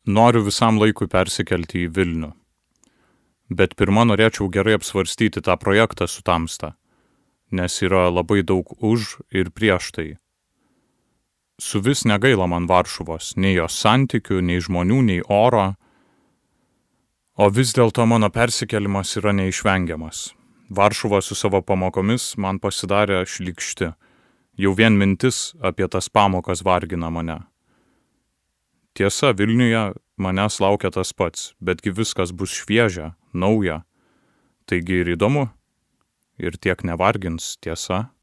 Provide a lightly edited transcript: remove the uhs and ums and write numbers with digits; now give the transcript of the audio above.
Noriu visam laikui persikelti į Vilnių. Bet pirma norėčiau gerai apsvarstyti tą projektą su Tamsta, nes yra labai daug už ir prieš tai. Su vis negaila man Varšuvos, nei jos santykių, nei žmonių, nei oro, o vis dėlto mano persikėlimas yra neišvengiamas. Varšuva su savo pamokomis man pasidarė šlykšti. Jau vien mintis apie tas pamokas vargina mane. Tiesa, Vilniuje manęs laukia tas pats, betgi viskas bus šviežia, nauja. Taigi ir įdomu, ir tiek nevargins, tiesa.